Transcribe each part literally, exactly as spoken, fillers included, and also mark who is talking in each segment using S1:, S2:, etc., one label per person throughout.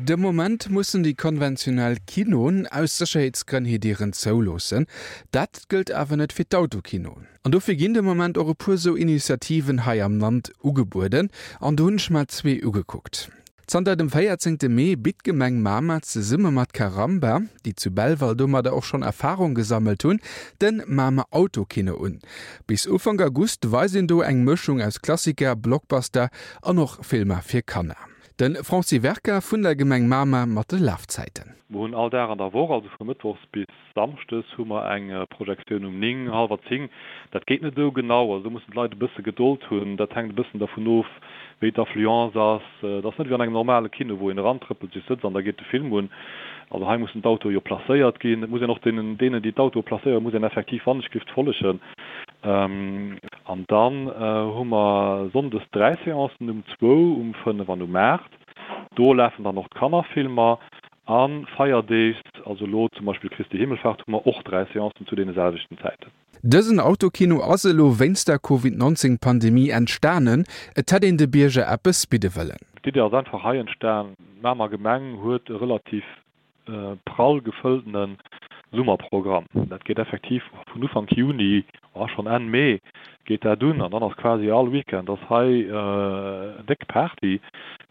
S1: De Moment mussen déi konventionell Kinoen aus Sécherheetsgrënn hir Dieren zouloossen. Dat gëllt awer net fir d'Autokinoen. An dofir ginn de Moment och e puer sou Initiativen hei am Land ugebueden. An do hunn ech mer zwee ugekuckt. Zanter dem véierzéngte Mee bitt d'Gemeng Mamer zesumme mat Caramba, déi zu Belval domadder och schonn Erfarung gesammelt hunn, de Mamer Autokino un. Bis Ufank August weist een do eng Mëschung aus Klassiker, Blockbuster an och Filmer fir Kanner. De Francis Werker vun der Gemeng Mamer mat de Lafzäiten.
S2: Mer hunn all Dag an der Woch, also vu mëttwochs bis samschdes hu mer eng Projektioun um néng, hallwer zéng. Dat geet net esou genau, also do mussen d'Leit e bësse Gedold hunn. Dat hänkt e bëssen dervun of, wéi d'Affluence ass. Et ass net wéi an engem normale Kino, wou een erantrëppelt, sech sëtzt an da geet de Film un. Also hei mussen d'Autoe jo placéiert ginn. Et muss een och deenen, deenen déi d'Autoe placéieren, muss een effektiv wannechgelift follegen. An dann hu mer sonndes dräi Seancen, um zwou, um fënnef an um aacht. Do lafen dann och d'Kannerfilmer. A feierdeegs, also elo zum Beispill Christi Himmelfahrt, hu mer och dräi Seancen zu deene selwechten Zäiten.
S1: Dësen Autokino ass elo wéinst der Covid neunzéng Pandemie entstanen. Et hätt een de Bierger eppes bidde wëllen.
S2: D'Idee ass einfach hei entstan, D'Mamer Gemeng huet e relativ prall gefëlltene Summerprogramm. Dat geet effektiv vun Ufank Juni, oh schonn Enn Mee geet dat un an dann ass quasi all Weekend ass hei déck Party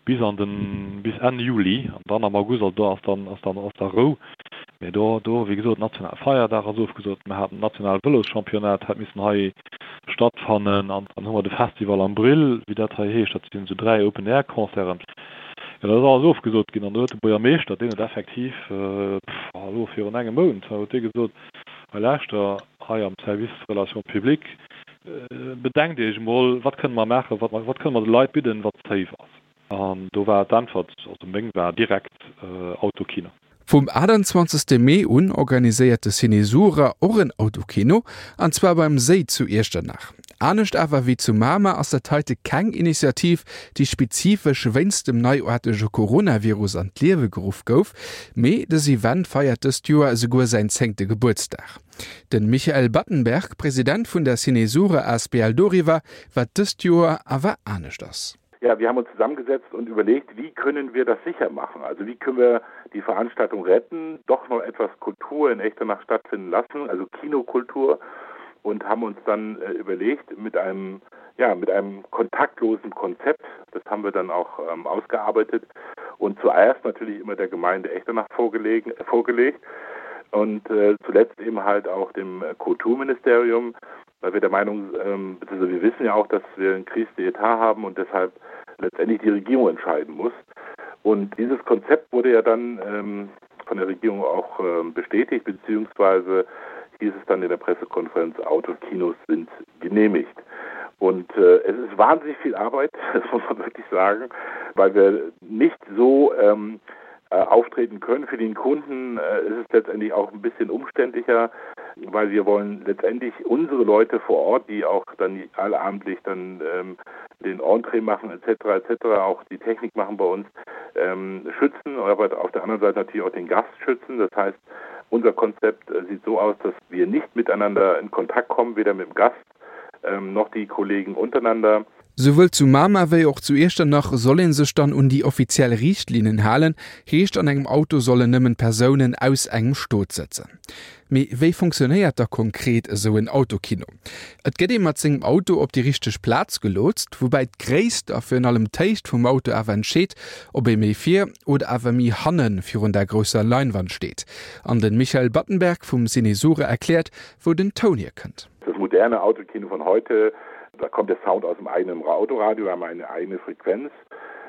S2: bis an den bis Enn Juli an dann am August, also do ass dann ass dann ass da Rou. Mee do do wéi gesot nationale Feierdag ass ofgesot, mer haten nationale Vëloschampionnat hätt missen hei stattfannen an dann hu mer de Festival am Brill, wéi dat hei heescht, dat sinn esou dräi Open Air Concerten. Jo, dat ass alles ofgesot ginn an do huet de Buergermeeschter, deen huet effektiv, pff, elo virun engem Mount, huet dee gesot, hei lauschter, hei am Service Relations publiques, bedenkt Iech emol, wat kënne mer maachen, wat wat kënne mer de Leit bidden, wat safe ass. An do war d'Äntwert, also meng war direkt, Autokino.
S1: Vum achtundzwanzegste Mee un organiséiert de Ciné Sura och en Autokino, an zwar beim Séi zu Iechternach. Anescht awer wéi zu Mamer ass dat heite keng Initiativ, déi spezifesch wéinst dem neiaartege Coronavirus an d'Liewe geruff gouf, mee dës Event feiert dëst Joer esouguer säin zéngte Gebuertsdag. De Michael Battenberg, President vun der Ciné Sura asbl doriwwer, wat dëst Joer awer anescht ass.
S3: Ja, wir haben uns zusammengesetzt und überlegt, wie können wir das sicher machen? Also wie können wir die Veranstaltung retten, doch noch etwas Kultur in Echternach stattfinden lassen, also Kinokultur und haben uns dann äh, überlegt mit einem ja mit einem kontaktlosen Konzept, das haben wir dann auch ähm, ausgearbeitet und zuerst natürlich immer der Gemeinde Echternach vorgelegen, äh, vorgelegt und äh, zuletzt eben halt auch dem Kulturministerium, weil wir der Meinung ähm, beziehungsweise wir wissen ja auch, dass wir einen Crise d'État haben und deshalb letztendlich die Regierung entscheiden muss. Und dieses Konzept wurde ja dann ähm, von der Regierung auch ähm, bestätigt, beziehungsweise hieß es dann in der Pressekonferenz, Autokinos sind genehmigt. Und äh, es ist wahnsinnig viel Arbeit, das muss man wirklich sagen, weil wir nicht so ähm, äh, auftreten können. Für den Kunden äh, ist es letztendlich auch ein bisschen umständlicher, weil wir wollen letztendlich unsere Leute vor Ort, die auch dann allabendlich dann ähm, den Entree machen et cetera et cetera, auch die Technik machen bei uns, ähm, schützen, aber auf der anderen Seite natürlich auch den Gast schützen. Das heißt, unser Konzept äh, sieht so aus, dass wir nicht miteinander in Kontakt kommen, weder mit dem Gast ähm, noch die Kollegen untereinander.
S1: Souwuel zu Mamer wéi och zu Iechternach soll ee sech dann un déi offiziell Riichtlinnen halen, heescht an engem Auto sollen nëmmen Persounen aus engem Stot sëtzen. Mee wéi funktionéiert da konkret esou en Autokino? Et gëtt ee mat sengem Auto op déi richteg Plaz gelotst, woubäi d'Gréisst a virun allem d'Héicht vum Auto awer entscheet, ob ee méi vir oder awer méi hanne virun der grousser Leinwand steet. An de Michael Battenberg vum Ciné Sura erkläert, wou den Toun hierkënnt.
S3: Das moderne Autokino von heute, da kommt der Sound aus dem eigenen Autoradio, wir haben eine eigene Frequenz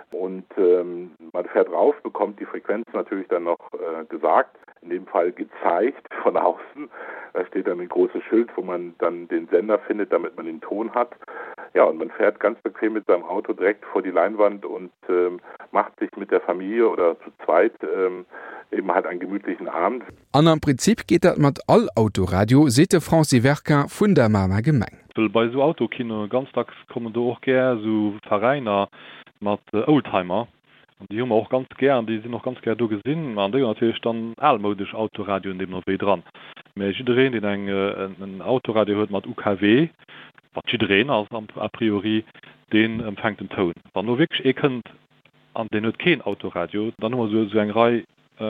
S3: und ähm, man fährt rauf, bekommt die Frequenz natürlich dann noch äh, gesagt, in dem Fall gezeigt von außen. Da steht dann ein großes Schild, wo man dann den Sender findet, damit man den Ton hat. Ja, und man fährt ganz bequem mit seinem Auto direkt vor die Leinwand und ähm, macht sich mit der Familie oder zu zweit ähm, eben halt einen gemütlichen Abend.
S1: An am Prinzip geet dat mat all Autoradio, seet de Francis Werquin vun der Mamer Gemeng.
S2: Well bei esou Autokinoe ganz dacks kommen do och gär esou Veräiner mat Oldtimer an déi hu mer och ganz gär an déi sinn och ganz gär do gesinn. An déi hunn natierlech dann almoudesch Autoradioen deemno wéi dran. Mä jiddereen, deen eng en Autoradio huet mat U K W, wat jiddereen ass a priori, deen empfänkt den Toun. Wann elo wierklech ee kënnt an deen huet keen Autoradio, dann hu mer esou eng Rei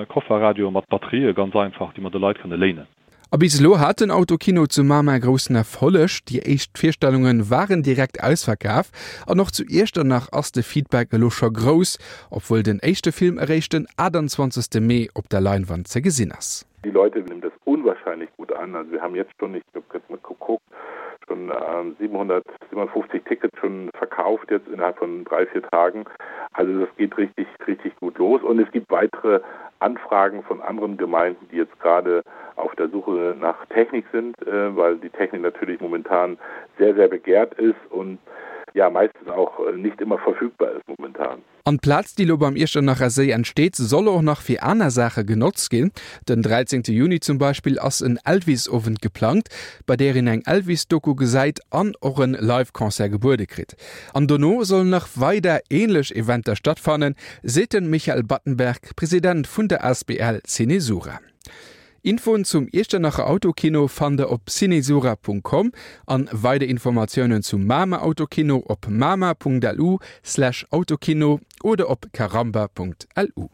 S2: Kofferradioe mat Batterië ganz einfach, déi mer de Leit kënne léinen.
S1: A bis elo hat den Autokino zu Mamer groussen Erfolleg, déi éischt Virstellunge waren direkt ausverkaf an och zu Iechternach ass de Feedback elo scho grouss, obwuel den éischte Film eréischt den achtundzwanzegste Mee op der Leinwand ze gesinn ass.
S3: Die Leute nehmen das unwahrscheinlich gut an. Also wir haben jetzt schon, ich habe jetzt mal geguckt, schon siebenhundertsiebenundfünfzig Tickets schon verkauft jetzt innerhalb von drei, vier Tagen. Also das geht richtig, richtig gut los und es gibt weitere Anfragen von anderen Gemeinden, die jetzt gerade auf der Suche nach Technik sind, weil die Technik natürlich momentan sehr, sehr begehrt ist und ja meistens auch nicht immer verfügbar ist momentan.
S1: An d'Plaz, déi elo beim Iechternacher Séi entsteet, soll och nach fir aner Saache genotzt ginn. Den dräizéngte Juni zum Beispill ass en Elvis-Owend geplangt, bei där een eng Elvis-Doku gesäit an och en Live-Concert gebuede kritt. An dono sollen nach weider änlech Eventer stattfannen, seet de Michael Battenberg, President vun der asbl Cinesura. Infoen zum Iechternacher Autokino fannt der op cinesura Punkt com an weider Informatiounen zum Mamer Autokino op mamer Punkt lu slash autokino oder op caramba Punkt lu.